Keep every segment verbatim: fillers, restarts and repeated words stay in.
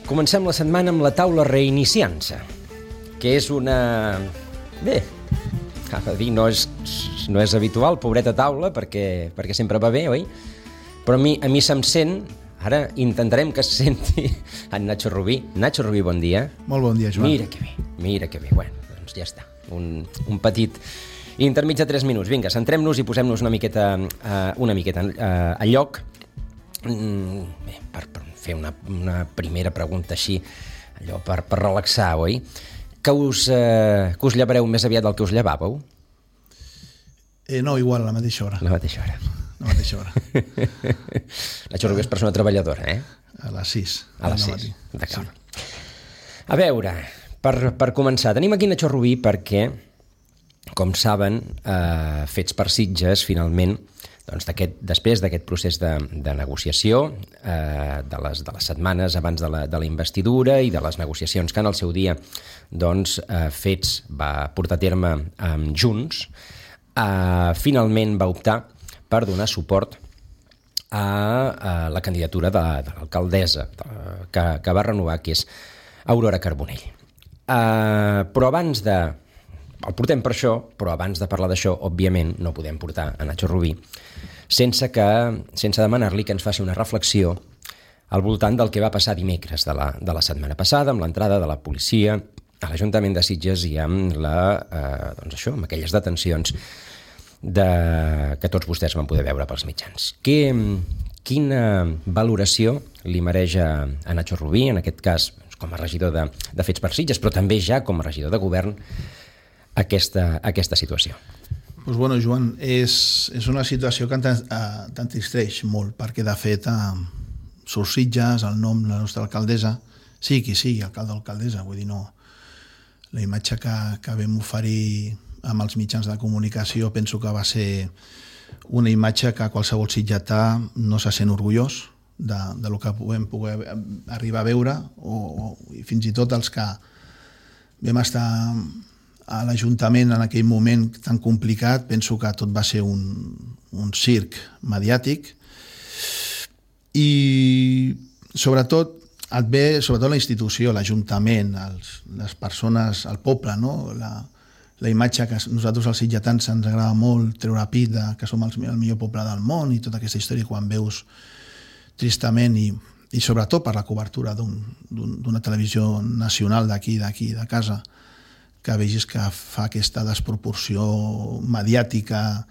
Comencem la setmana amb la taula reiniciant-se, que és una... Bé, a dir, no és, no és habitual, pobreta taula, perquè, perquè sempre va bé, oi? Però a mi, a mi se'm sent, ara intentarem que es senti en Nacho Rubí. Nacho Rubí, bon dia. Molt bon dia, Joan. Mira que bé, mira que bé. Bueno, doncs ja està. Un, un petit intermig de tres minuts. Vinga, centrem-nos i posem-nos una miqueta, uh, una miqueta uh, a lloc. Mm, bé, per, per fer una, una primera pregunta així, allò per, per relaxar, oi? Que us, eh, que us llevareu més aviat del que us llevàveu? Eh, no, igual, a la mateixa hora. A la mateixa hora. A la mateixa hora. Nacho Rubí és persona treballadora, eh? A les sis. A les sis, d'acord. Sí. A veure, per, per començar, tenim aquí Nacho Rubí perquè, com saben, eh, Fets per Sitges, finalment, doncs d'aquest, després d'aquest procés de, de negociació, eh, de, les, de les setmanes abans de la, de la investidura i de les negociacions que en el seu dia doncs, eh, Fets va portar a terme eh, junts, eh, finalment va optar per donar suport a, a la candidatura de, de l'alcaldessa de, que, que va renovar, que és Aurora Carbonell. Eh, però abans de... El portem per això, però abans de parlar d'això, òbviament, no podem portar a Nacho Rubí sense, que, sense demanar-li que ens faci una reflexió al voltant del que va passar dimecres de la, de la setmana passada, amb l'entrada de la policia a l'Ajuntament de Sitges i amb, la, eh, doncs això, amb aquelles detencions de, que tots vostès van poder veure pels mitjans. Que, quina valoració li mereix a, a Nacho Rubí, en aquest cas com a regidor de, de Fets per Sitges, però també ja com a regidor de govern, Aquesta, aquesta situació? Pues bueno, Joan, és, és una situació que t'entristeix molt, perquè de fet a Sors Sitges, el nom de la nostra alcaldessa, sí qui sigui, alcalde o alcaldessa, vull dir, no. La imatge que, que vam oferir amb els mitjans de comunicació penso que va ser una imatge que qualsevol sitgetà no se sent orgullós de, de lo que podem poder arribar a veure, o, o i fins i tot els que vam estar a l'Ajuntament en aquell moment tan complicat, penso que tot va ser un, un circ mediàtic i sobretot et ve sobretot la institució, l'Ajuntament, els, les persones, el poble, no? la, la imatge que nosaltres els sitgetans ens agrada molt treure pit de que som el, el millor poble del món i tota aquesta història quan veus tristament i, i sobretot per la cobertura d'una televisió nacional d'aquí, d'aquí, de casa, que vegis que fa aquesta desproporció mediàtica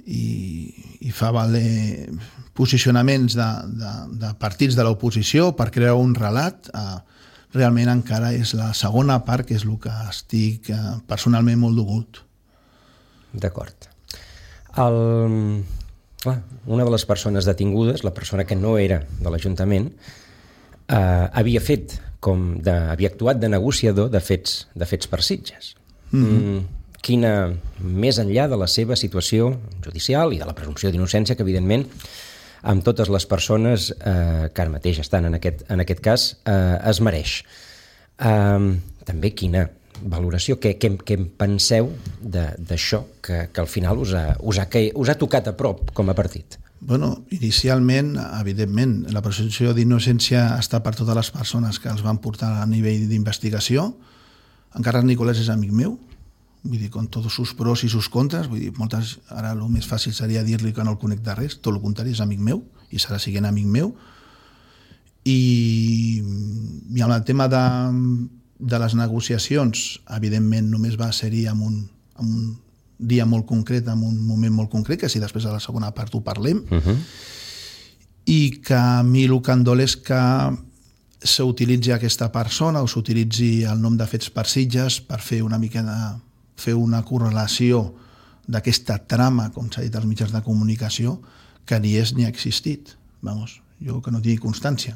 i, i fa valer posicionaments de, de, de partits de l'oposició per crear un relat. Eh, realment encara és la segona part, que és el que estic eh, personalment molt dolgut. D'acord. El... Clar, una de les persones detingudes, la persona que no era de l'Ajuntament, eh, havia fet com de, havia actuat de negociador de fets, de fets per Sitges. Mm-hmm. Mm, quina, més enllà de la seva situació judicial i de la presumpció d'innocència, que evidentment amb totes les persones eh, que ara mateix estan en aquest, en aquest cas eh, es mereix. Eh, també quina valoració, què, què, què en penseu d'això que, que al final us ha, us, ha, que us ha tocat a prop com a partit? Bueno, inicialment, evidentment, la presumpció d'innocència està per totes les persones que els van portar a nivell d'investigació. En Carles Nicolás és amic meu, vull dir, con tots sus pros i sus contres, vull dir, moltes, ara el més fàcil seria dir-li que no el conec de res, tot el contrari, és amic meu, i serà siguent amic meu. I, i amb el tema de, de les negociacions, evidentment, només va ser-hi amb un, amb un dia molt concret, en un moment molt concret, que si després a la segona part ho parlem, uh-huh. I que a mi el que em dol és que s'utilitzi aquesta persona o s'utilitzi el nom de Fets per Sitges per fer una mica de, fer una correlació d'aquesta trama, com s'ha dit als mitjans de comunicació, que ni és ni ha existit. Vamos, jo que no tingui constància.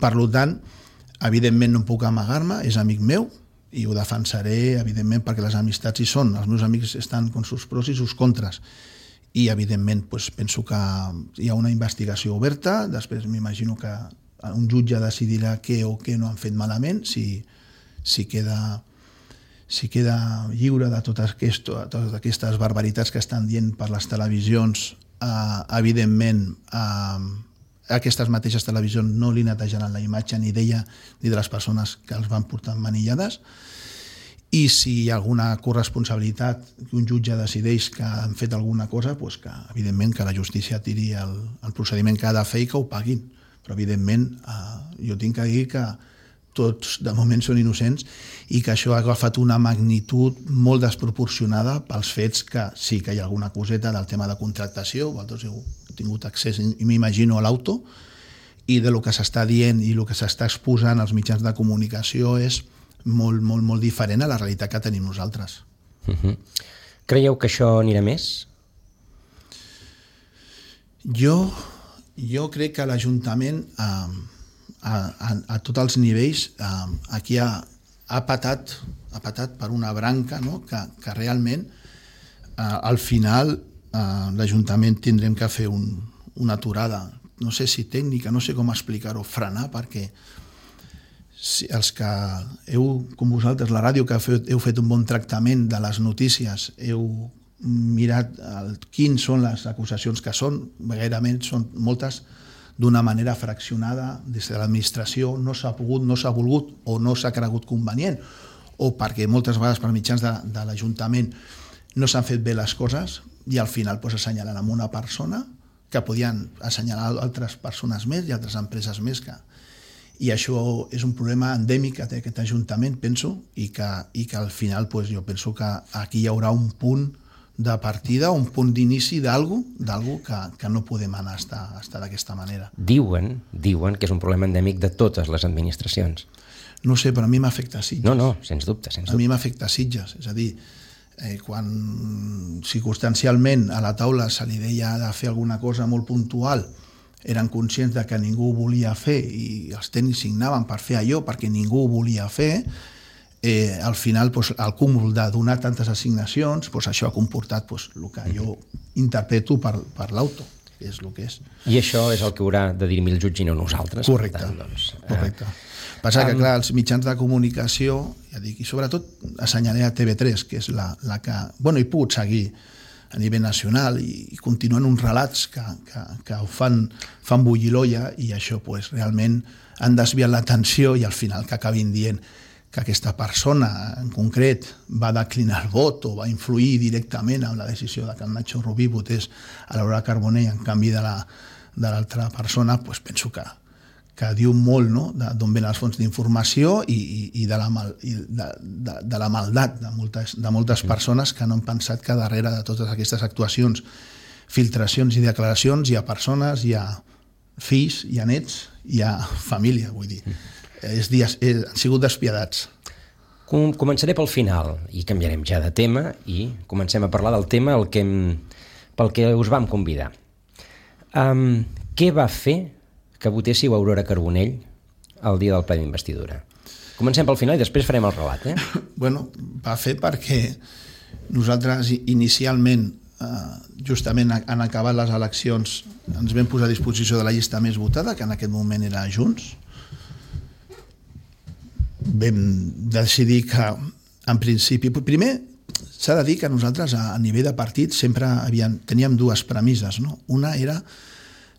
Per tant, evidentment no puc amagar-me, és amic meu, i ho defensaré, evidentment, perquè les amistats hi són. Els meus amics estan con sus pros i sus contres. I, evidentment, doncs, penso que hi ha una investigació oberta. Després m'imagino que un jutge decidirà què o què no han fet malament, si, si, queda, si queda lliure de totes, aquest, totes aquestes barbaritats que estan dient per les televisions. Eh, evidentment, eh, aquestes mateixes televisions no li netejaran la imatge ni d'ella ni de les persones que els van portar manillades, i si hi ha alguna corresponsabilitat que un jutge decideix que han fet alguna cosa, doncs que evidentment que la justícia tiri el, el procediment que ha de fer i que ho paguin. Però evidentment eh, jo tinc que dir que tots de moment són innocents i que això ha agafat una magnitud molt desproporcionada pels fets que sí que hi ha alguna coseta del tema de contractació, vosaltres heu tingut accés, i m'imagino, a l'auto, i de lo que s'està dient i el que s'està exposant als mitjans de comunicació és molt, molt, molt diferent a la realitat que tenim nosaltres. Uh-huh. Creieu que això anirà més? Jo, jo crec que l'Ajuntament eh, a, a, a tots els nivells eh, aquí ha, ha, patat, ha patat per una branca, no? que, que realment eh, al final eh, l'Ajuntament tindrem que fer un, una aturada, no sé si tècnica, no sé com explicar-ho, frenar, perquè si els que heu, com vosaltres, la ràdio, que heu fet, heu fet un bon tractament de les notícies, heu mirat el, quins són les acusacions que són, gairebé són moltes d'una manera fraccionada des de l'administració, no s'ha pogut, no s'ha volgut o no s'ha cregut convenient, o perquè moltes vegades per mitjans de, de l'Ajuntament no s'han fet bé les coses i al final pues, assenyalen amb una persona que podien assenyalar altres persones més i altres empreses més que... I això és un problema endèmic que té aquest Ajuntament, penso, i que, i que al final pues, jo penso que aquí hi haurà un punt de partida, un punt d'inici d'algú d'algú que, que no podem anar a estar, a estar d'aquesta manera. Diuen, diuen que és un problema endèmic de totes les administracions. No sé, però a mi m'afecta a Sitges. No, no, sens dubte, sens dubte. A mi m'afecta a Sitges, és a dir, eh, quan circumstancialment a la taula se li deia de fer alguna cosa molt puntual, eren conscients de que ningú ho volia fer i els tècnics signaven per fer allò perquè ningú ho volia fer, eh, al final doncs, el cúmul de donar tantes assignacions, doncs, això ha comportat doncs, el que jo interpreto per, per l'auto, que és el que és. I això és el que haurà de dir-me el jutge i no nosaltres. Correcte, tant, doncs, correcte. Passa que, clar, els mitjans de comunicació, ja dic, i sobretot assenyaré a T V tres, que és la, la que... Bueno, he pogut seguir a nivell nacional i, i continuen uns relats que, que, que ho fan, fan bullir l'olla i això pues, realment han desviat l'atenció i al final que acabin dient que aquesta persona en concret va declinar el vot o va influir directament en la decisió de que el Nacho Rubí votés a l'Aurora Carbonell en canvi de l'altra la, persona, pues penso que, que diu molt, no?, d'on venen les fonts d'informació i, i, i, de, la mal, i de, de, de la maldat de moltes, de moltes persones que no han pensat que darrere de totes aquestes actuacions, filtracions i declaracions hi ha persones, hi ha fills, hi ha nets, hi ha família, vull dir. És dies, és, han sigut despiadats. Com, començaré pel final i canviarem ja de tema i comencem a parlar del tema el que, pel que us vam convidar. Um, què va fer que votéssiu Aurora Carbonell el dia del ple d'investidura? Comencem pel final i després farem el relat. Eh? Bueno, va fer perquè nosaltres inicialment, eh, justament en acabar les eleccions, ens vam posar a disposició de la llista més votada, que en aquest moment era Junts. Vam decidir que, en principi... Primer, s'ha de dir que nosaltres, a nivell de partit, sempre havíem, teníem dues premisses. No? Una era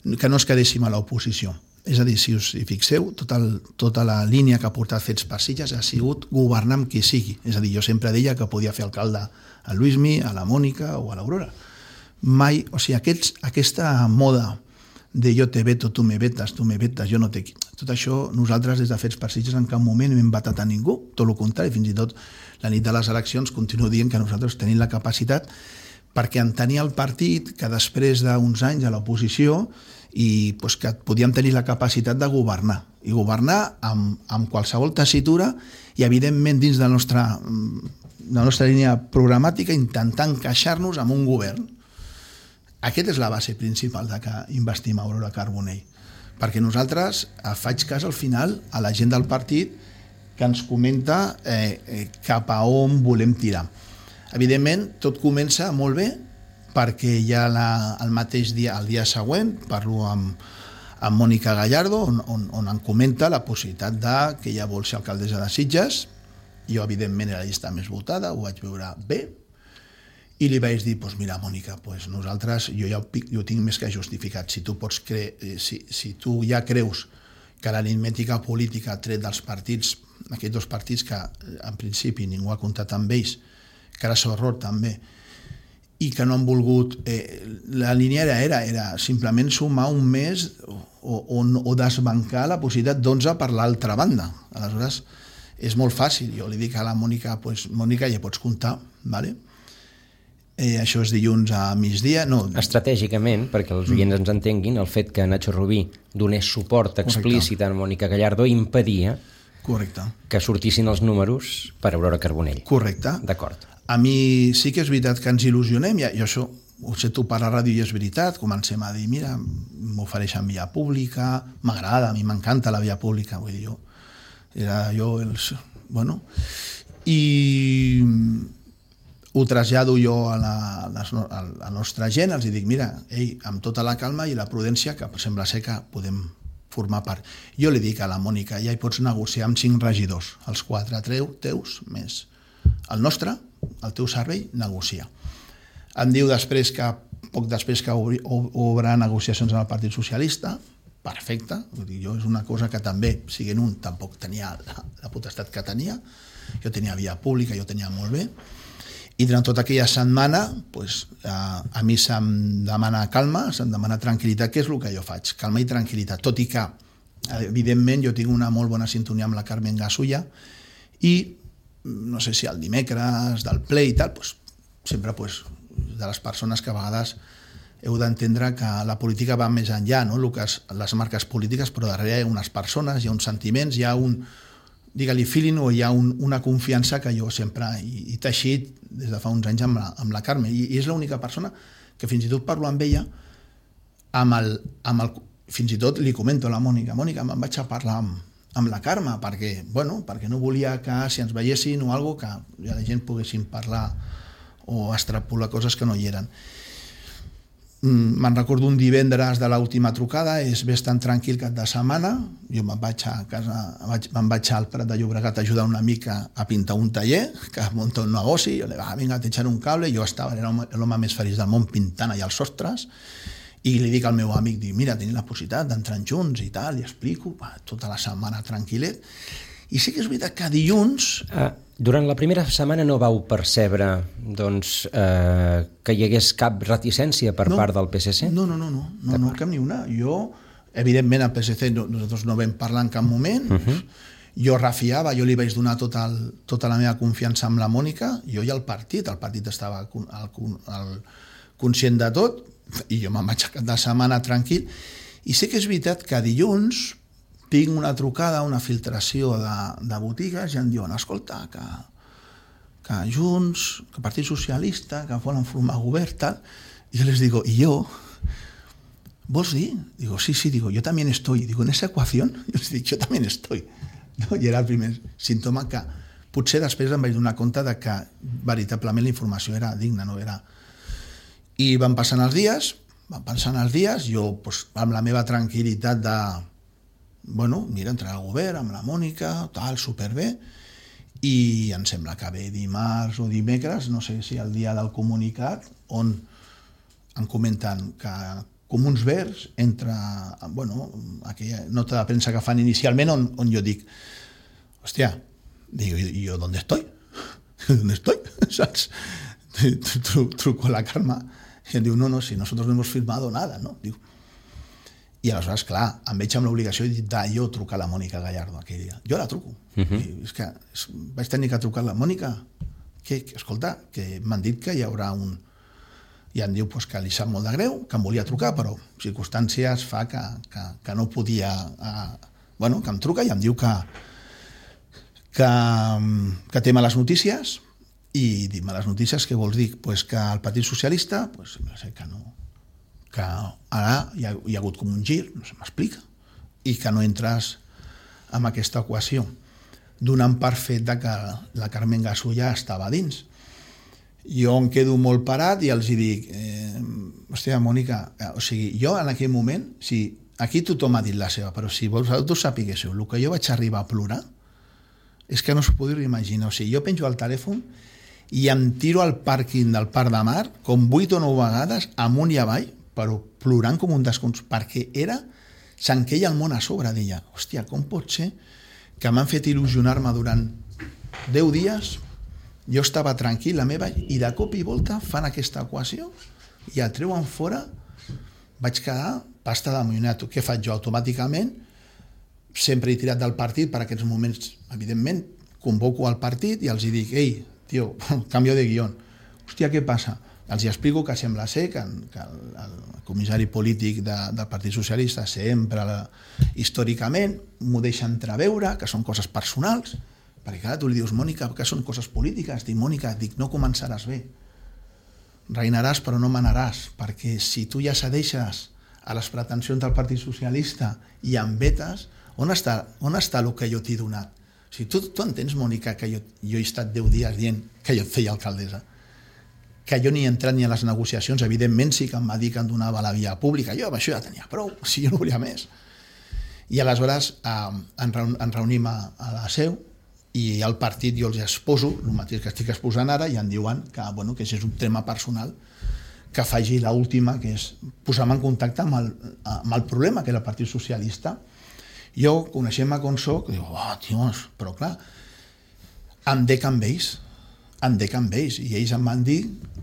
que no ens quedéssim a l'oposició. És a dir, si us hi fixeu, tot el, tota la línia que ha portat Fets per Sitges ha sigut governar amb qui sigui. És a dir, jo sempre deia que podia fer alcalde a Luismi, a la Mònica o a l'Aurora. Mai, o sigui, aquests, aquesta moda de jo te veto, tu me vetes, tu me vetes, jo no te... Tot això, nosaltres des de Fets per Sitges en cap moment hem vetat a ningú, tot el contrari, fins i tot la nit de les eleccions continuo dient que nosaltres tenim la capacitat perquè entenia el partit que després d'uns anys a l'oposició i pues, que podíem tenir la capacitat de governar i governar amb, amb qualsevol tessitura i evidentment dins de la nostra, de la nostra línia programàtica intentar encaixar-nos amb un govern. Aquesta és la base principal de que investim a Aurora Carbonell, perquè nosaltres faig cas al final a la gent del partit que ens comenta eh, eh, cap a on volem tirar. Evidentment, tot comença molt bé perquè ja la, el mateix dia, el dia següent, parlo amb, amb Mònica Gallardo, on, on, on em comenta la possibilitat de que ella vol ser alcaldessa de Sitges. Jo, evidentment, era la llista més votada, ho vaig veure bé. I li vaig dir, doncs mira, Mònica, pues nosaltres, jo ja ho, jo ho tinc més que justificat. Si tu, pots cre... si, si tu ja creus que l'aritmètica política ha tret dels partits, aquests dos partits que en principi ningú ha comptat amb ells, que era seu error també, i que no han volgut... Eh, la línia era, era, era simplement sumar un mes o, o, o desbancar la possibilitat d'onze per l'altra banda. Aleshores, és molt fàcil. Jo li dic a la Mònica, pues, Mònica, ja pots comptar, ¿vale? Eh, això és dilluns a migdia. No. Estratègicament, perquè els oients ens entenguin, el fet que Nacho Rubí donés suport explícit a Mònica Gallardo impedia Correcte. que sortissin els números per Aurora Carbonell. Correcte. D'acord. A mi sí que és veritat que ens il·lusionem, i això ho sento per la ràdio i és veritat, comencem a dir, mira, m'ofereixen via pública, m'agrada, a mi m'encanta la via pública, vull dir, jo, era jo els... Bueno, i ho trasllado jo a la, a la nostra gent, els dic, mira, ei, amb tota la calma i la prudència, que sembla ser que podem formar part. Jo li dic a la Mònica, ja hi pots negociar amb cinc regidors, els quatre teus més el nostre, el teu servei, negocia. Em diu després que, poc després que obri, obre negociacions amb el Partit Socialista, perfecte, jo és una cosa que també, siguent un, tampoc tenia la, la potestat que tenia, jo tenia via pública, jo tenia molt bé, i durant tota aquella setmana pues, a, a mi se'm demana calma, se'm demana tranquil·litat, que és el que jo faig, calma i tranquil·litat, tot i que evidentment jo tinc una molt bona sintonia amb la Carmen Gasulla i no sé si el dimecres del ple i tal, pues, sempre pues, de les persones que a vegades heu d'entendre que la política va més enllà, no? El que és, les marques polítiques, però darrere hi ha unes persones, hi ha uns sentiments, hi ha un, digue-li feeling, o hi ha un, una confiança que jo sempre he, he teixit des de fa uns anys amb la, amb la Carme, i, i és l'única persona que fins i tot parlo amb ella, amb el, amb el, fins i tot li comento a la Mònica, Mònica, me'n vaig a parlar amb, amb la Carme, perquè, bueno, perquè no volia que si ens veiessin o alguna cosa, que ja la gent poguessin parlar o extrapolar coses que no hi eren. Me'n recordo un divendres de l'última trucada, és ves tan tranquil cap de setmana, jo me'n vaig a casa, me'n vaig al Prat de Llobregat a ajudar una mica a pintar un taller, que munta un negoci, jo li va, vinga, t'eixaré un cable, jo estava, era l'home més feliç del món pintant allà als sostres, i li dic al meu amic, dic, mira, tenim la possibilitat d'entrar junts i tal, i explico, va, tota la setmana tranquil·let, i sí que és veritat que dilluns... Ah, durant la primera setmana no vau percebre doncs, eh, que hi hagués cap reticència per no, part del P S C? No, no, no, no, no, no cap ni una. Jo, evidentment, al P S C no, nosaltres no vam parlar en cap moment, uh-huh. Jo refiava, jo li vaig donar tot el, tota la meva confiança amb la Mònica, jo i el partit, el partit estava al, al, al, conscient de tot, i jo me'n vaig a cap de setmana tranquil, i sé que és veritat que dilluns tinc una trucada, una filtració de, de botigues i em diuen, escolta, que, que Junts, que Partit Socialista, que volen formar govern, tal. I jo les digo, ¿y yo? ¿Vos dir? Digo, sí, sí, digo, yo también estoy. Digo, en esa ecuación, yo les dic, yo también estoy. No? I era el primer símptoma que potser després em vaig donar compte de que veritablement la informació era digna, no era... I van passant els dies, van passant els dies, jo pues, amb la meva tranquil·litat de bueno, mira, entrar al govern amb la Mònica, tal, superbé, i em sembla que ve dimarts o dimecres, no sé si el dia del comunicat, on em comenten que Comuns Verds entra, bueno, aquella nota de premsa que fan inicialment, on, on jo dic, hòstia, digo, ¿y yo dónde estoy? ¿Dónde estoy? ¿Saps? Truco a la Carme i em diu, no, no, si nosotros no hemos firmado nada, no? Diu, i aleshores, clar, em veig amb l'obligació de jo trucar a la Mònica Gallardo aquell dia. Jo la truco. Uh-huh. I és que és, vaig tenir que trucar a la Mònica, que, que escolta, que m'han dit que hi haurà un... I em diu pues, que li sap molt de greu, que em volia trucar, però circumstàncies fa que, que, que no podia... Eh, bueno, que em truca i em diu que, que, que té males notícies, i dir males notícies, què vols dir? Pues que el Partit Socialista, pues, no sé, que no... que ara hi ha, hi ha hagut com un gir, no se m'explica, i que no entres en aquesta equació, donant per fet de que la Carmen Gasulla estava dins. Jo em quedo molt parat i els hi dic, eh, hòstia, Mònica, o sigui, jo en aquell moment, si aquí tothom ha dit la seva, però si vosaltres sapiguéssiu el que jo vaig arribar a plorar, és que no s'ho podeu imaginar. O sigui, jo penjo al telèfon i em tiro al pàrquing del Parc de Mar com vuit o nou vegades amunt i avall, però plorant com un descons, perquè era, se'n queia el món a sobre, deia, hòstia, com pot ser que m'han fet il·lusionar-me durant deu dies, jo estava tranquil, la meva, i de cop i volta fan aquesta equació i el treuen fora, vaig quedar pasta de moïnato. Què faig jo? Automàticament, sempre he tirat del partit per aquests moments, evidentment, convoco al partit i els hi dic, ei, tio, canvio de guió. Hòstia, què passa? Els hi explico que sembla ser que, que el, el comissari polític de, del Partit Socialista sempre, la, històricament, m'ho deixa entreveure, que són coses personals, perquè clar, tu li dius, Mònica, que són coses polítiques. Dic, Mònica, dic, no començaràs bé. Reinaràs però no manaràs, perquè si tu ja cedeixes a les pretensions del Partit Socialista i em vetes, on està, on està el que jo t'he donat? O sigui, tu, tu entens, Mònica, que jo, jo he estat deu dies dient que jo et feia alcaldessa, que jo ni he entrat ni a les negociacions, evidentment sí que em va dir que em donava la via pública, jo amb això ja tenia prou, si jo no volia més. I aleshores eh, ens reunim a, a la seu i al partit jo els exposo el mateix que estic exposant ara i em diuen que, bueno, que és un tema personal, que faci l'última, que és posar-me en contacte amb el, amb el problema que era el Partit Socialista. Jo, coneixent-me com soc, dic, oh, tios, però clar, em dec amb ells, em dec amb ells, i ells em van dir,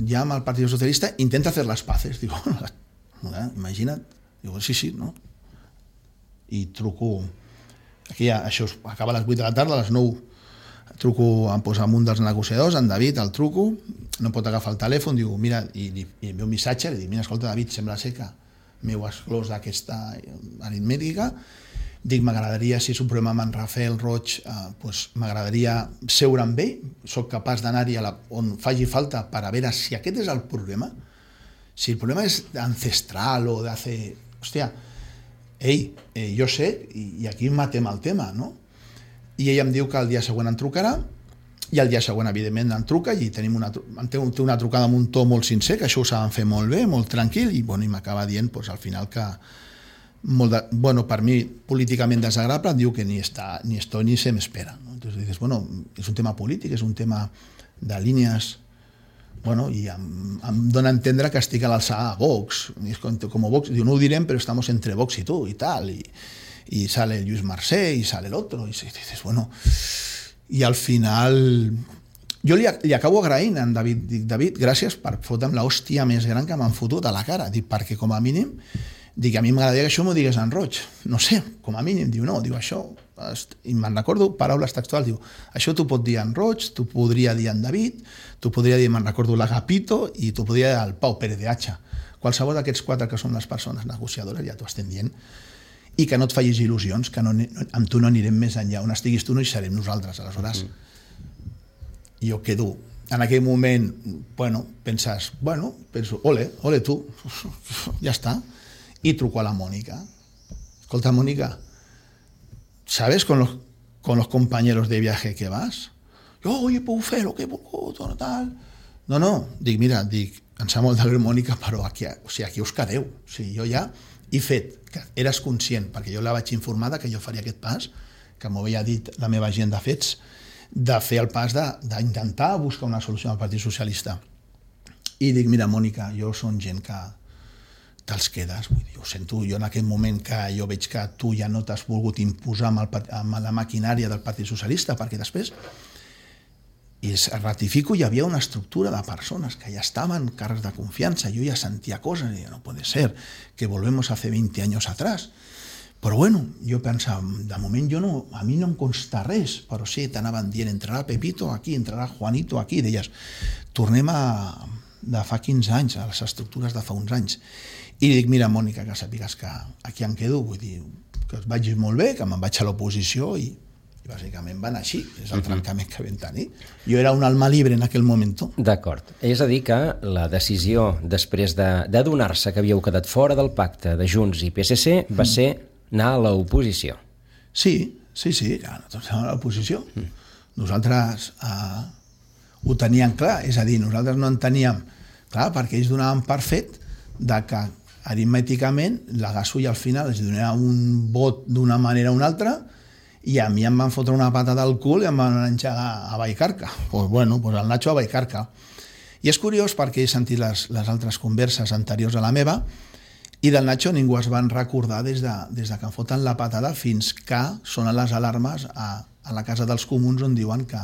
ja amb el Partit Socialista, intenta fer les paces. Dic, eh, imagina't, dic, sí, sí, no? I truco, aquí ja, això acaba a les vuit de la tarda, a les nou truco, em posa amb un dels negociadors, en David, el truco, no pot agafar el telèfon, diu, mira, i, i, i envio un missatge, li dic, mira, escolta, David, sembla ser que m'heu exclòs d'aquesta aritmètica, dic, m'agradaria, si és un problema amb en Rafael Roig, eh, pues, m'agradaria seure amb ell, soc capaç d'anar-hi on faci falta per a veure si aquest és el problema, si el problema és ancestral o de fer, hòstia, ei, eh, jo sé, i, i aquí matem el tema, no? I ell em diu que el dia següent em trucarà, i el dia següent, evidentment, em truca i tenim una, té una trucada amb un to molt sincer, que això ho saben fer molt bé, molt tranquil, i, bueno, i m'acaba dient, pues, al final, que molt de, bueno, per mi, políticament desagradable, em diu que ni, està, ni estoy ni se m'espera. ¿No? Entonces dices, bueno, és un tema polític, és un tema de línies, bueno, i em, em dona a entendre que estic a l'alçada a Vox, i és com, com Vox, diu, no ho direm, però estamos entre Vox i tu, i tal, i y sale Lluís Mercè y sale el otro y dices, bueno, y al final jo li, li acabo agraint a en David, dic, David, gràcies per fotre'm l'hòstia més gran que m'han fotut a la cara, dic, perquè com a mínim dic, a mi m'agradaria que això m'ho digués en Roig, no sé, com a mínim, diu, no, diu, això, i me'n recordo paraules textuals, diu, això t'ho pot dir en Roig, t'ho podria dir en David, t'ho podria dir, me'n recordo, l'Agapito, i t'ho podria dir el Pau Pérez de Hacha, qualsevol d'aquests quatre que són les persones negociadores, ja t'ho estem dient, i que no et facis il·lusions, que no, amb tu no anirem més enllà, on estiguis tu no hi serem nosaltres, aleshores mm. jo quedo, en aquell moment, bueno, penses, bueno, penso, ole, ole tu, ja està, i truco a la Mónica, escolta, Mónica, ¿sabes con los, con los compañeros de viaje que vas? Jo, oye, puc fer lo que he volgut, tal, no, no, dic, mira, dic, em sap molt de greu, Mònica, però aquí, o sigui, aquí us quedeu, o sigui, jo ja he fet, que eres conscient, perquè jo la vaig informar que jo faria aquest pas, que m'ho havia dit la meva gent de fets, de fer el pas d'intentar buscar una solució al Partit Socialista. I dic, mira, Mònica, jo són gent que te'ls quedes, vull dir, ho sento, jo en aquell moment que jo veig que tu ja no t'has volgut imposar amb, el, amb la maquinària del Partit Socialista, perquè després i es ratifico, hi havia una estructura de persones que ja estaven càrrecs de confiança, jo ja sentia coses, i no puede ser que volvemos hace veinte años atrás, però bueno, jo pensava, de moment jo no, a mi no em consta res, però sí, t'anaven dient, entrarà Pepito aquí, entrarà Juanito aquí, deies, tornem a de fa quinze anys, a les estructures de fa uns anys, i dic, mira, Mònica, que sàpigues que aquí em quedo, vull dir, que et vagi molt bé, que me'n vaig a l'oposició i bàsicament van així, és el trencament que vam tenir. Jo era un alma libre en aquell moment. D'acord. És a dir que la decisió després d'adonar-se que havíeu quedat fora del pacte de Junts i P S C va mm. ser anar a l'oposició. Sí, sí, sí, ja, nosaltres anàvem a l'oposició. Mm. Nosaltres eh, ho teníem clar, és a dir, nosaltres no en teníem clar, perquè ells donaven per fet de que aritmèticament la Gasol al final es donava un vot d'una manera o una altra i a mi em van fotre una pata del cul i em van enxegar a Vallcarca. Pues bueno, pues el Nacho a Vallcarca. I és curiós perquè he sentit les, les altres converses anteriors a la meva i del Nacho ningú es van recordar des de, des de que em foten la patada fins que sonen les alarmes a, a la Casa dels Comuns on diuen que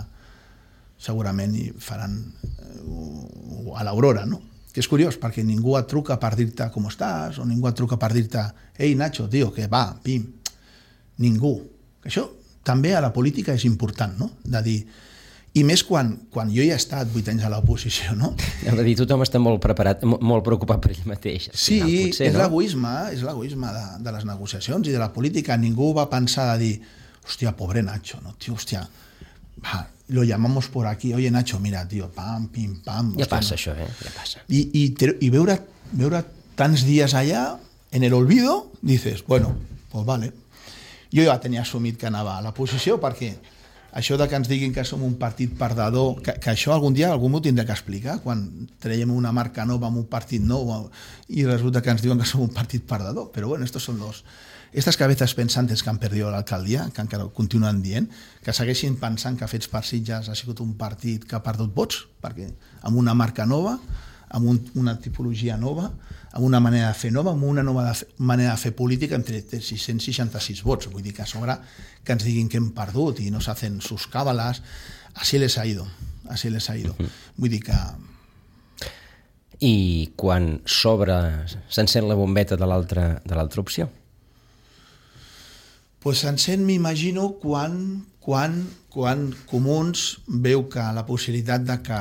segurament hi faran eh, a l'Aurora, no? Que és curiós perquè ningú et truca per dir-te com estàs o ningú et truca per dir-te ei Nacho, tio, que va, pim. Ningú. Això també a la política és important, no? De dir... I més quan, quan jo ja he estat vuit anys a l'oposició, no? Hem de dir, tothom està molt preparat, molt preocupat per ell mateix. Sí, final, potser, és no? l'egoisme, és l'egoisme de, de les negociacions i de la política. Ningú va pensar de dir, hòstia, pobre Nacho, no? Tio, hòstia, va, lo llamamos por aquí, oye Nacho, mira, tío, pam, pim, pam. Ja hòstia, passa no? això, eh? Ja passa. I, i, i veure, veure tants dies allà, en el olvido, dices, bueno, pues vale. Jo ja tenia assumit que anava a l'oposició perquè això de que ens diguin que som un partit perdedor, que, que això algun dia algú m'ho tindrà que explicar, quan traiem una marca nova amb un partit nou i resulta que ens diuen que som un partit perdedor. Però bueno, estos son los... Estas cabezas pensantes que han perdido l'alcaldia, que encara continuen dient, que segueixin pensant que Fets per Sitges ha sigut un partit que ha perdut vots, perquè amb una marca nova, amb un, una tipologia nova, amb una manera de fer nova, amb una nova de fer, manera de fer política entre sis-cents seixanta-sis vots. Vull dir que a sobre que ens diguin que hem perdut i no s'hacen sus cábalas, así les ha ido, así les ha ido. Uh-huh. Vull dir que... I quan s'obre, s'encén la bombeta de l'altra de l'altra opció? Pues s'encén, m'imagino, quan, quan, quan Comuns veu que la possibilitat de que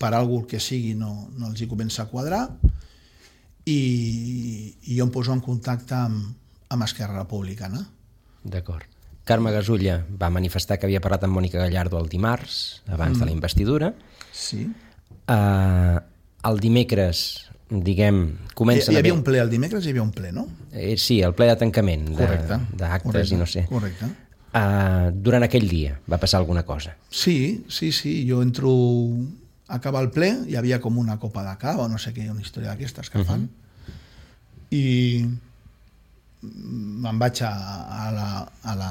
per algú que sigui no, no els hi comença a quadrar i, i jo em poso en contacte amb, amb Esquerra Republicana. D'acord. Carme Gasulla va manifestar que havia parlat amb Mònica Gallardo el dimarts, abans mm. de la investidura. Sí. Uh, el dimecres, diguem, comença... Hi, hi havia un ple, el dimecres hi havia un ple, no? Eh, sí, el ple de tancament d'actes i no sé. Correcte. Uh, durant aquell dia va passar alguna cosa? Sí, sí, sí. Jo entro... Acaba el ple, hi havia com una copa de cava, no sé què, una història d'aquestes que fan, uh-huh. i me'n vaig a, a la, a la,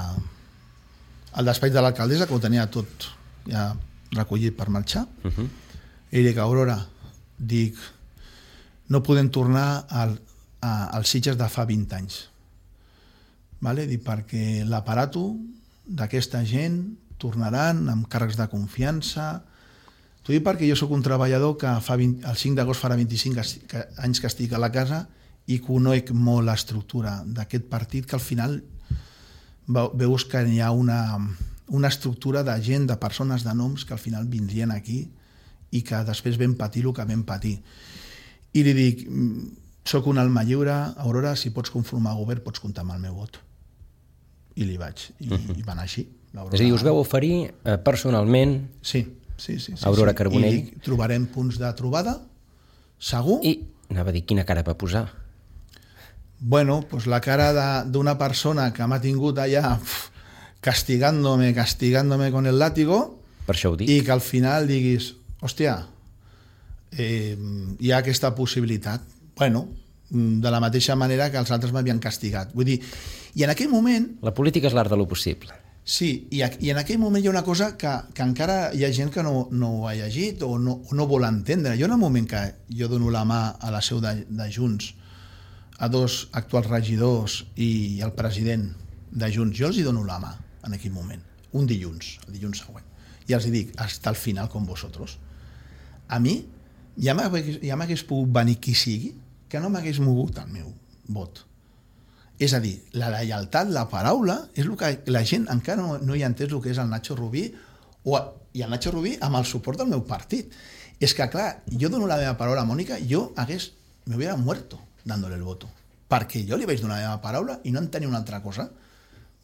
al despatx de l'alcaldessa, que ho tenia tot ja recollit per marxar, uh-huh. i dic, Aurora, dic, no podem tornar al, a, als Sitges de fa vint anys, vale? Dic, perquè l'aparato d'aquesta gent tornaran amb càrrecs de confiança. T'ho dic perquè jo sóc un treballador que fa vint, el cinc d'agost farà vint-i-cinc anys que estic a la casa i conec molt l'estructura d'aquest partit, que al final veus que hi ha una, una estructura de gent, de persones, de noms que al final vindrien aquí i que després vam patir el que vam patir. I li dic, soc un alma lliure, Aurora, si pots conformar govern pots comptar amb el meu vot. I li vaig, i, uh-huh. i va anar així. És a dir, us veu oferir eh, personalment... Sí. Sí, sí, sí, Aurora sí. Carbonell. I trobarem punts de trobada, segur. I anava a dir, quina cara va posar? Bueno, pues la cara d'una persona que m'ha tingut allà pf, castigándome, castigándome con el látigo, per això ho dic. I que al final diguis, hòstia, eh, hi ha aquesta possibilitat. Bueno, de la mateixa manera que els altres m'havien castigat. Vull dir, i en aquell moment... La política és l'art de lo possible. Sí, i, i en aquell moment hi ha una cosa que, que encara hi ha gent que no, no ho ha llegit o no, o no vol entendre. Jo en el moment que jo dono la mà a la seu de, de Junts a dos actuals regidors i al president de Junts, jo els hi dono la mà en aquell moment, un dilluns, el dilluns següent, i els hi dic, hasta el final com vosaltres. A mi ja m'hagués ja pogut venir qui sigui que no m'hagués mogut el meu vot. És a dir, la lleialtat, la paraula, és el que la gent encara no, no hi ha entès el que és el Nacho Rubí, o, i el Nacho Rubí amb el suport del meu partit. És que, clar, jo dono la meva paraula a Mònica, jo hagués, me hubiera muerto dándole el voto. Perquè jo li vaig donar la meva paraula i no en tenia una altra cosa,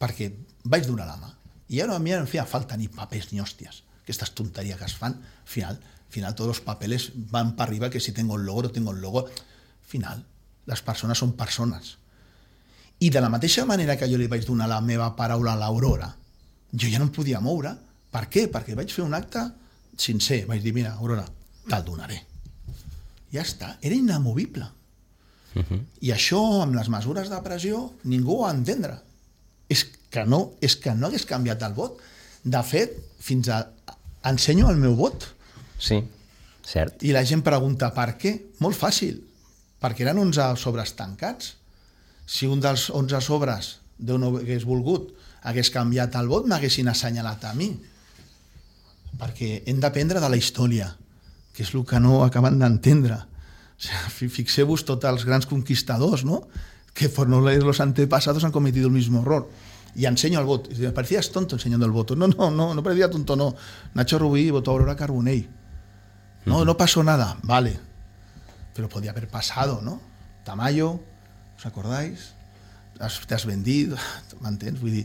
perquè vaig donar la mà. I ara a mi no em feia falta ni papers ni hòsties. Aquestes tonteries que es fan, al final, al final tots els papeles van per arriba, que si tengo el logo o tengo el logo. Al final, les persones són persones. I de la mateixa manera que jo li vaig donar la meva paraula a l'Aurora, jo ja no em podia moure. Per què? Perquè vaig fer un acte sincer. Vaig dir, mira, Aurora, te'l donaré. Ja està, era inamovible. Uh-huh. I això, amb les mesures de pressió, ningú ho va entendre. És que no, és que no hagués canviat el vot. De fet, fins a... ensenyo el meu vot. Sí, cert. I la gent pregunta per què? Molt fàcil, perquè eren onze sobres tancats. Si un dels onze sobres, Déu no hagués volgut, hagués canviat el vot, m'haguessin assenyalat a mi. Perquè hem d'aprendre de la història, que és el que no acaben d'entendre. O sigui, fixeu-vos tots els grans conquistadors, ¿no? Que por no leer los antepasados han cometido el mismo error. Y enseño el voto. Y me parecías tonto enseñando el voto. No, no, no, no parecía tonto, no. Nacho Rubí votó a Aurora Carbonell. No, no pasó nada, vale. Pero podía haber pasado, ¿no? Tamayo, ¿os acordáis? Te has vendido, m'entens? Vull dir,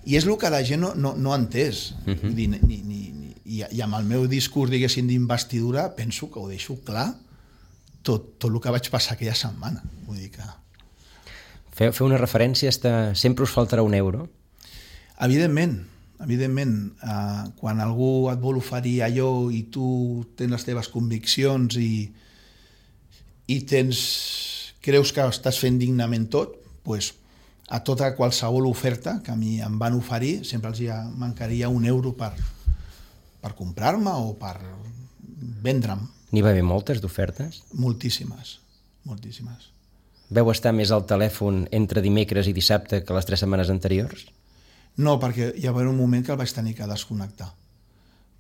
i és el que la gent no, no, no ha entès. Uh-huh. Vull dir, ni, ni, ni, i, I amb el meu discurs, diguéssim, d'investidura, penso que ho deixo clar tot, tot el que vaig passar aquella setmana. Vull dir que... Fer, fer una referència està... Sempre us faltarà un euro? Evidentment, evidentment. Eh, quan algú et vol oferir allò i tu tens les teves conviccions i, i tens, creus que estàs fent dignament tot, doncs a tota qualsevol oferta que a mi em van oferir, sempre els hi mancaria un euro per, per comprar-me o per vendre'm. N'hi va haver moltes d'ofertes? Moltíssimes, moltíssimes. Veu estar més al telèfon entre dimecres i dissabte que les tres setmanes anteriors? No, perquè hi va haver un moment que el vaig tenir que desconnectar.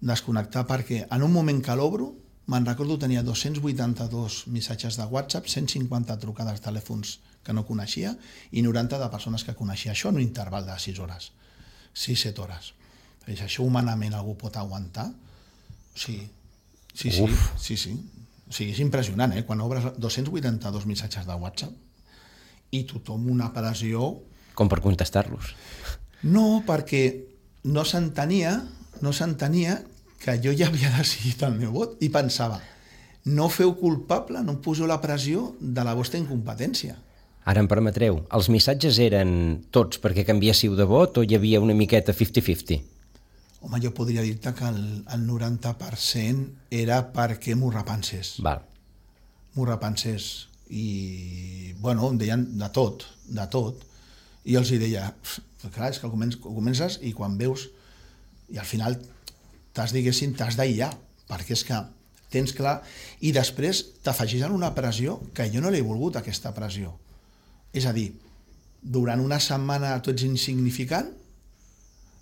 Desconnectar perquè en un moment que l'obro, me'n recordo tenia dos-cents vuitanta-dos missatges de WhatsApp, cent cinquanta trucades de telèfons que no coneixia i noranta de persones que coneixia. Això en un interval de sis hores, sis set hores. És, això humanament algú pot aguantar? O sigui, sí, sí, sí, sí. O sigui, és impressionant, eh? Quan obres dos-cents vuitanta-dos missatges de WhatsApp i tothom una pressió... Com per contestar-los? No, perquè no s'entenia, no s'entenia que jo ja havia decidit el meu vot i pensava, no feu culpable, no em poseu la pressió de la vostra incompetència. Ara em permetreu, els missatges eren tots perquè canviéssiu de vot o hi havia una miqueta cinquanta cinquanta? Home, jo podria dir-te que el, el noranta per cent era perquè m'ho repensés. Val. M'ho repensés. I, bueno, em deien de tot, de tot. I els hi deia, clar, és que comences i quan veus, i al final t'has, diguéssim, t'has d'aïllar, perquè és que tens clar, i després t'afegeixen una pressió que jo no l'he volgut, aquesta pressió. És a dir, durant una setmana tu ets insignificant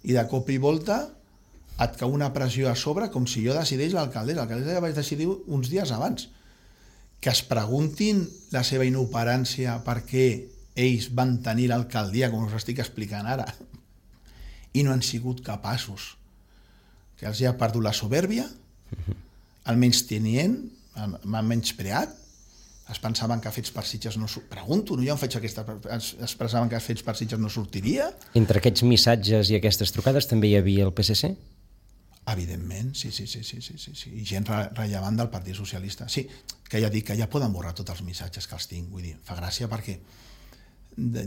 i de cop i volta et cau una pressió a sobre com si jo decideix l'alcaldessa. L'alcaldessa ja vaig decidir uns dies abans. Que es preguntin la seva inoperància per què ells van tenir l'alcaldia, com us estic explicant ara, i no han sigut capaços. Que els ha perdut la soberbia, el menysteniment, m'han menyspreat, es pensaven que Fets per Sitges no... Pregunto, no? Jo em faig aquesta... Es pensaven que Fets per Sitges no sortiria. Entre aquests missatges i aquestes trucades també hi havia el P S C? Evidentment, sí, sí, sí, sí, sí, sí, sí. I gent rellevant del Partit Socialista. Sí, que ja dic que ja poden borrar tots els missatges que els tinc. Vull dir, fa gràcia perquè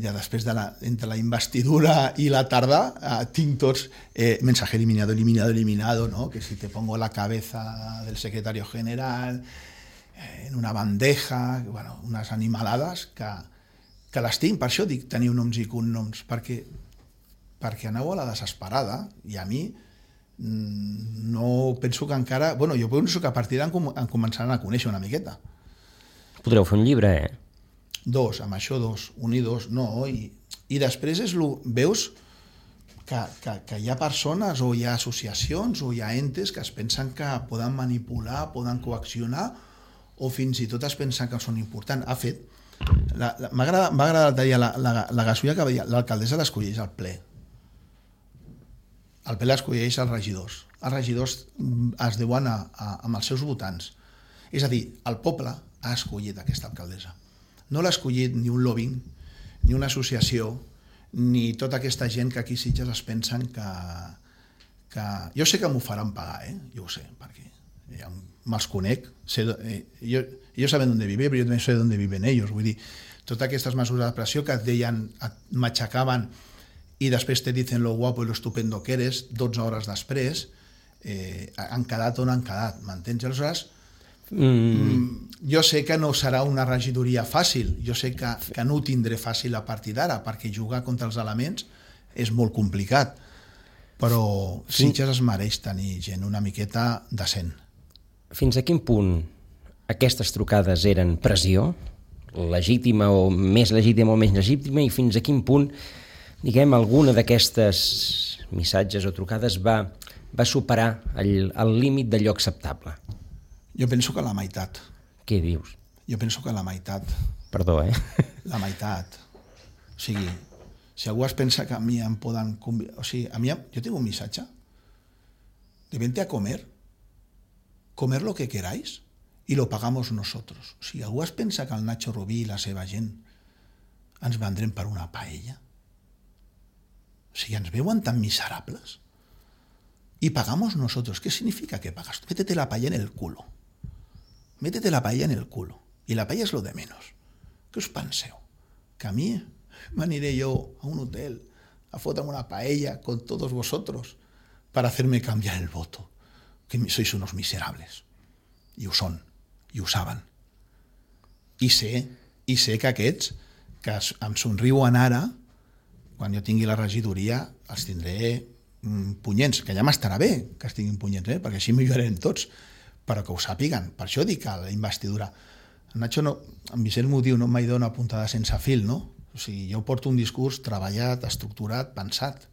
ja després de la, entre la investidura i la tarda eh, tinc tots eh, mensaje eliminado, eliminado, eliminado, ¿no? Que si te pongo la cabeza del secretario general eh, en una bandeja, bueno, unes animalades que, que les tinc, per això dic teniu noms i cognoms, perquè, perquè aneu a la desesperada i a mi no penso que encara... Bueno, jo penso que a partir d'ara em començaran a conèixer una miqueta. Podreu fer un llibre, eh? Dos, amb això dos, un i dos, no, i, i després és lo, veus que, que, que hi ha persones o hi ha associacions o hi ha entes que es pensen que poden manipular, poden coaccionar o fins i tot es pensen que són importants. Ha fet, m'ha agradat la, la, la gasolla que veia, l'alcaldessa l'escolleix al ple. El ple l'escolleix als regidors. Els regidors es deuen a, a, amb els seus votants. És a dir, el poble ha escollit aquesta alcaldessa. No l'ha escollit ni un lobbying, ni una associació, ni tota aquesta gent que aquí Sitges es pensen que... que... Jo sé que m'ho faran pagar, eh? Jo ho sé, perquè ja me'ls conec. Sé, eh, jo, jo saben d'on vive, però jo també sé d'on viven ells. Vull dir, totes aquestes mesures de pressió que et deien, et matxacaven i després te dicen lo guapo i lo estupendo que eres, dotze hores després, eh, han quedat on han quedat, m'entens? Aleshores, Mm. jo sé que no serà una regidoria fàcil, jo sé que, que no ho tindré fàcil a partir d'ara, perquè jugar contra els elements és molt complicat, però Sitges es mereix tenir gent una miqueta decent. Fins a quin punt aquestes trucades eren pressió, legítima o més legítima o menys legítima, i fins a quin punt, diguem, alguna d'aquestes missatges o trucades va, va superar el, el límit d'allò acceptable? Jo penso que la meitat. Què dius? Jo penso que la meitat. Perdó, eh? La meitat. O sigui, si algú es pensa que a mi em poden... O sigui, a mi, jo tinc un missatge de vente a comer, comer lo que queráis y lo pagamos nosotros. O sigui, algú es pensa que el Nacho Rubí i la seva gent ens vendrem per una paella. O sigui, ens veuen tan miserables. Y pagamos nosotros. ¿Qué significa que pagas? Métete la paella en el culo. Métete la paella en el culo. Y la paella es lo de menos. Què us penseu? Que a mi m'aniré jo a un hotel a fotre'm una paella con todos vosotros para hacerme cambiar el voto. Que sois unos miserables. I ho són. I ho saben. I sé, i sé que aquests que em somriuen ara, quan jo tingui la regidoria, els tindré mm, punyents, que ja m'estarà bé que estiguin punyents, eh? Perquè així millorarem tots, però que ho sàpiguen. Per això dic que la investidura... En Nacho, no, en Vicent m'ho diu, no mai dona puntada sense fil, no? O sigui, jo porto un discurs treballat, estructurat, pensat,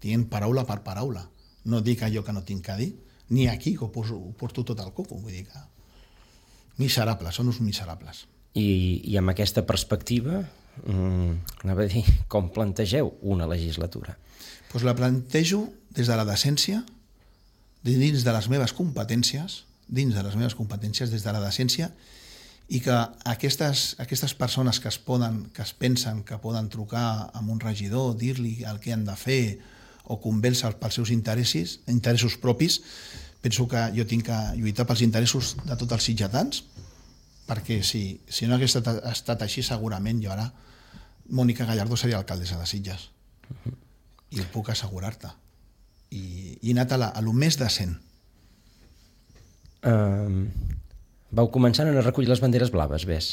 dient paraula per paraula. No dic allò que no tinc que dir, ni aquí, que ho, poso, ho porto tot al coco. Vull dir que... Miserables, són uns miserables. I, i amb aquesta perspectiva, mm, anava a dir, com plantegeu una legislatura? Pues la plantejo des de la decència, dins de les meves competències, dins de les meves competències, des de la decència, i que aquestes, aquestes persones que es poden, que es pensen que poden trucar a un regidor, dir-li el que han de fer o convèncer pels seus interessos, interessos propis, penso que jo tinc que lluitar pels interessos de tots els sitgetans, perquè si, si no hagués estat, estat així, segurament jo ara Mònica Gallardo seria alcaldessa de Sitges. Uh-huh. I ho puc assegurar-te. I, i he anat a, la, a lo més decent. Um, vau començar a recollir les banderes blaves, ves?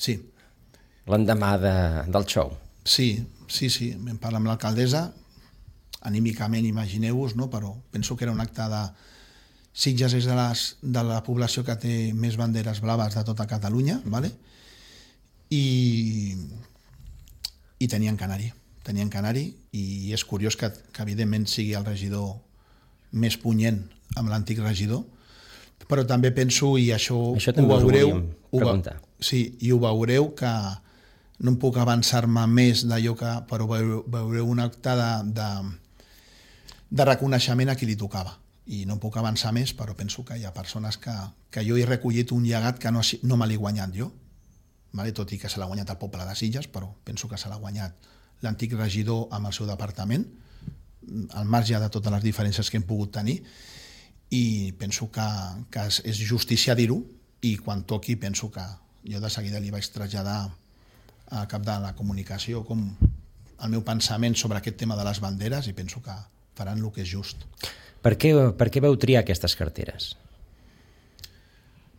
Sí. L'endemà de, del show. Sí, sí, sí. Vam parlar amb l'alcaldessa, anímicament, imagineu-vos, no? Però penso que era un acte de... Sitges és de, les, de la població que té més banderes blaves de tota Catalunya, ¿vale? I, i tenien que anar-hi, tenien que anar-hi, i és curiós que, que evidentment sigui el regidor més punyent amb l'antic regidor, però també penso, i això, això ho veureu, ho va, sí, i ho veureu que no em puc avançar-me més d'allò que, però veureu, veureu un acte de, de, de reconeixement a qui li tocava. I no puc avançar més, però penso que hi ha persones que, que jo he recollit un llegat que no, no me l'he guanyat jo, vale? Tot i que se l'ha guanyat el poble de Sitges, però penso que se l'ha guanyat l'antic regidor amb el seu departament, al marge de totes les diferències que hem pogut tenir, i penso que, que és justícia dir-ho, i quan toqui penso que jo de seguida li vaig traslladar a cap de la comunicació com el meu pensament sobre aquest tema de les banderes, i penso que faran el que és just. Per què, per què vau triar aquestes carteres?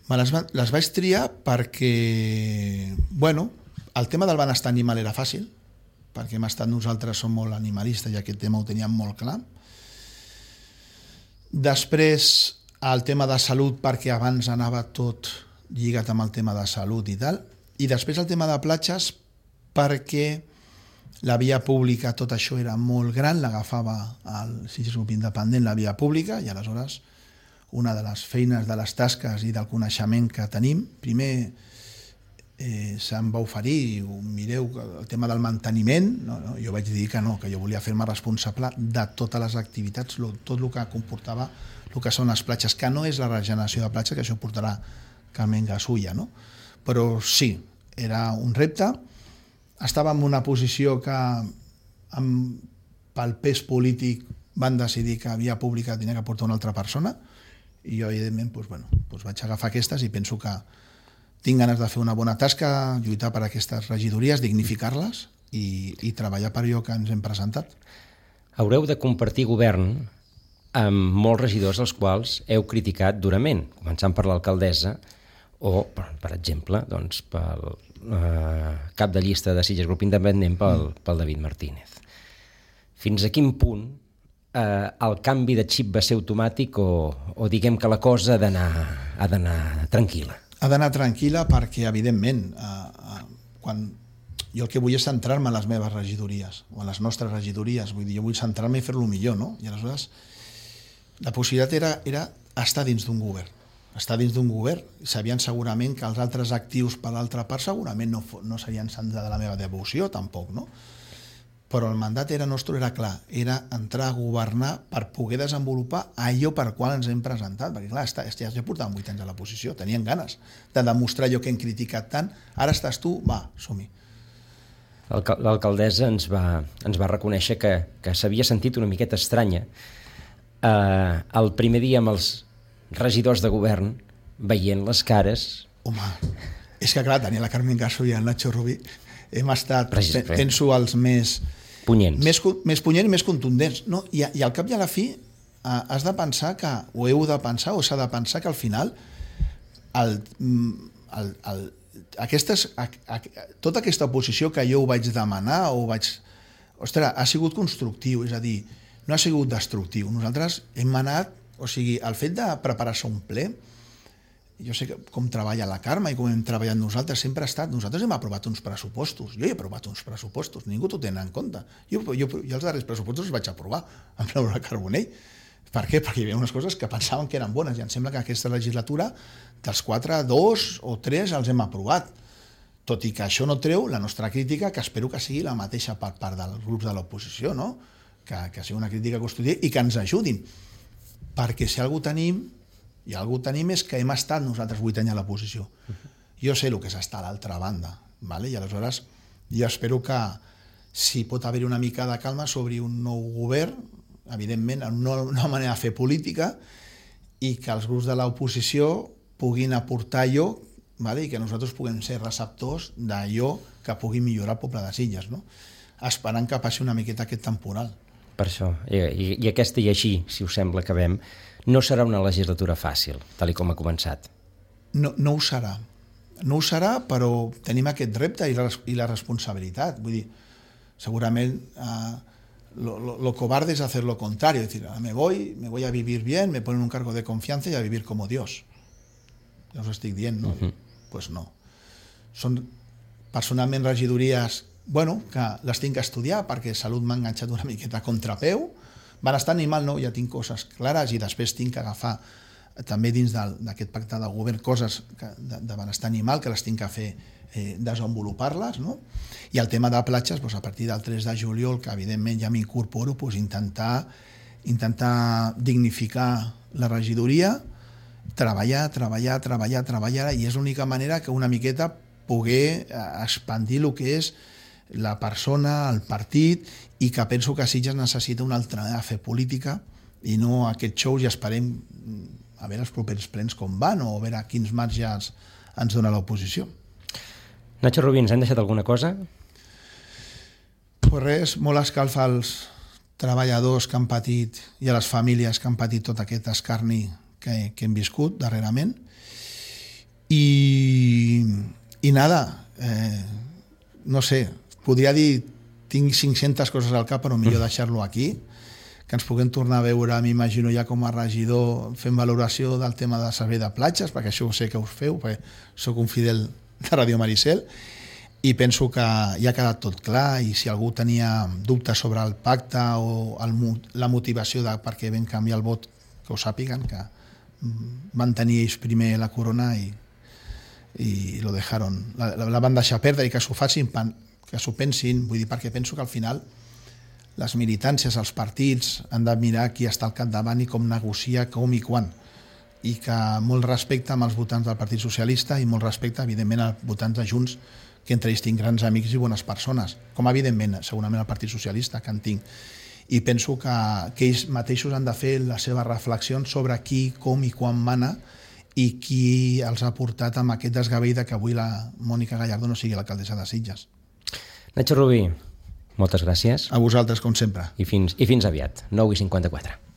Me les, les vaig triar perquè, bueno, el tema del benestar animal era fàcil, perquè hem estat nosaltres, som molt animalistes i aquest tema ho teníem molt clar. Després, el tema de salut, perquè abans anava tot lligat amb el tema de salut i tal. I després el tema de platges, perquè la via pública, tot això era molt gran, l'agafava el Sitges Grup Independent, la via pública, i aleshores una de les feines, de les tasques i del coneixement que tenim, primer eh, se'm va oferir, mireu, el tema del manteniment, no, no, jo vaig dir que no, que jo volia fer-me responsable de totes les activitats, lo, tot el que comportava el que són les platges, que no és la regeneració de platja, que això portarà Carmen Gasulla, no? Però sí, era un repte. Estava en una posició que amb, pel pes polític van decidir que via pública tenia que portar una altra persona, i jo evidentment doncs, bueno, doncs vaig agafar aquestes i penso que tinc ganes de fer una bona tasca, lluitar per aquestes regidories, dignificar-les i, i treballar per allò que ens hem presentat. Haureu de compartir govern amb molts regidors als quals heu criticat durament, començant per l'alcaldessa o, per, per exemple, doncs, pel eh, cap de llista de Sitges Grup Independent, pel, pel David Martínez. fins a quin punt eh, el canvi de xip va ser automàtic o, o diguem que la cosa ha d'anar ha d'anar tranquil·la? Ha d'anar tranquil·la perquè, evidentment, eh, eh, quan jo el que vull és centrar-me en les meves regidories o en les nostres regidories, vull dir, jo vull centrar-me i fer-lo millor, no? I aleshores la possibilitat era, era estar dins d'un govern, estar dins d'un govern, sabien segurament que els altres actius per l'altra part segurament no, no serien sants de la meva devoció, tampoc, no? Però el mandat era nostre, era clar, era entrar a governar per poder desenvolupar allò per qual ens hem presentat, perquè clar, ja, ja portàvem vuit anys a la posició, tenien ganes de demostrar allò que hem criticat tant, ara estàs tu, va, som-hi. L'alcaldessa ens va, ens va reconèixer que, que s'havia sentit una miqueta estranya eh, el primer dia amb els regidors de govern veient les cares. Home, és que clar, tenia la Carmen Gasso i el Nacho Rubí, hem estat, Precis, penso, els més punyents, més, més punyents i més contundents, no? I, i al cap i a la fi eh, has de pensar que, o heu de pensar, o s'ha de pensar que al final el, el, el Aquestes, a, a, tota aquesta oposició que jo ho vaig demanar o vaig... Ostres, ha sigut constructiu, és a dir, no ha sigut destructiu. Nosaltres hem anat... O sigui, el fet de preparar-se un ple, jo sé que com treballa la Carme i com hem treballat nosaltres, sempre ha estat... Nosaltres hem aprovat uns pressupostos. Jo he aprovat uns pressupostos, ningú t'ho té en compte. Jo, jo, jo els darrers pressupostos els vaig aprovar amb Laura Carbonell. Per què? Perquè hi havia unes coses que pensaven que eren bones i em sembla que aquesta legislatura dels quatre, dos o tres els hem aprovat. Tot i que això no treu la nostra crítica, que espero que sigui la mateixa per part dels grups de l'oposició, no? que, que sigui una crítica constructiva i que ens ajudin. Perquè si algú tenim, i algú tenim és que hem estat nosaltres vuit anys a l'oposició. Jo sé el que és estar a l'altra banda, vale? I aleshores jo espero que si pot haver-hi una mica de calma sobre un nou govern, evidentment, una, una manera de fer política i que els grups de l'oposició puguin aportar allò, vale? I que nosaltres puguem ser receptors d'allò que pugui millorar el poble de Sitges, no? Esperant que passi una miqueta aquest temporal. Per això, i, i, i aquesta i així, si us sembla, acabem, no serà una legislatura fàcil, tal i com ha començat. No, no ho serà. No ho serà, però tenim aquest repte i la, i la responsabilitat. Vull dir, segurament... Eh, Lo, lo, lo cobarde es hacer lo contrario, es decir, me voy, me voy a vivir bien, me ponen un cargo de confianza y a vivir como Dios. Ja us ho estic dient, no? Uh-huh. Pues no. Són personalment regidories, bueno, que les tinc que estudiar perquè Salut m'ha enganxat una miqueta a contrapeu. Benestar animal no, ja tinc coses clares i després tinc que agafar també dins d'aquest pacte de govern coses que, de, de benestar animal que les tinc que fer eh, desenvolupar-les, no? I el tema de platges, doncs, a partir del tres de juliol, que evidentment ja m'incorporo, doncs, intentar, intentar dignificar la regidoria, treballar, treballar, treballar, treballar, i és l'única manera que una miqueta poder expandir el que és la persona, el partit, i que penso que Sitges necessita una altra manera de fer política i no aquests shows, i esperem a veure els propers plens com van o a veure quins marges ens dona l'oposició. Nacho Rubí, ens hem deixat alguna cosa? Pues res, molt escalf als treballadors que han patit i a les famílies que han patit tot aquest escarni que, que hem viscut darrerament. I, i nada, eh, no sé, podria dir, tinc cinc-centes coses al cap, però millor deixar-lo aquí, que ens puguem tornar a veure, m'imagino ja com a regidor, fent valoració del tema de servei de platges, perquè això ho sé que us feu, perquè sóc un fidel de Ràdio Maricel, i penso que ja ha quedat tot clar, i si algú tenia dubtes sobre el pacte o el, la motivació de per què vam canviar el vot, que ho sàpiguen, que van tenir ells primer la corona i, i lo dejaron, la, la van deixar perdre, i que s'ho facin, que s'ho pensin, vull dir, perquè penso que al final les militàncies, els partits han de mirar qui està al capdavant i com negocia, com i quan, i que molt respecte amb els votants del Partit Socialista i molt respecte, evidentment, als votants de Junts, que entre ells tinc grans amics i bones persones, com evidentment, segurament el Partit Socialista, que en tinc. I penso que, que ells mateixos han de fer les seves reflexions sobre qui, com i quan mana i qui els ha portat amb aquest desgavell que avui la Mònica Gallardo no sigui l'alcaldessa de Sitges. Nacho Rubí, moltes gràcies. A vosaltres, com sempre. I fins, i fins aviat, nou i cinquanta-quatre.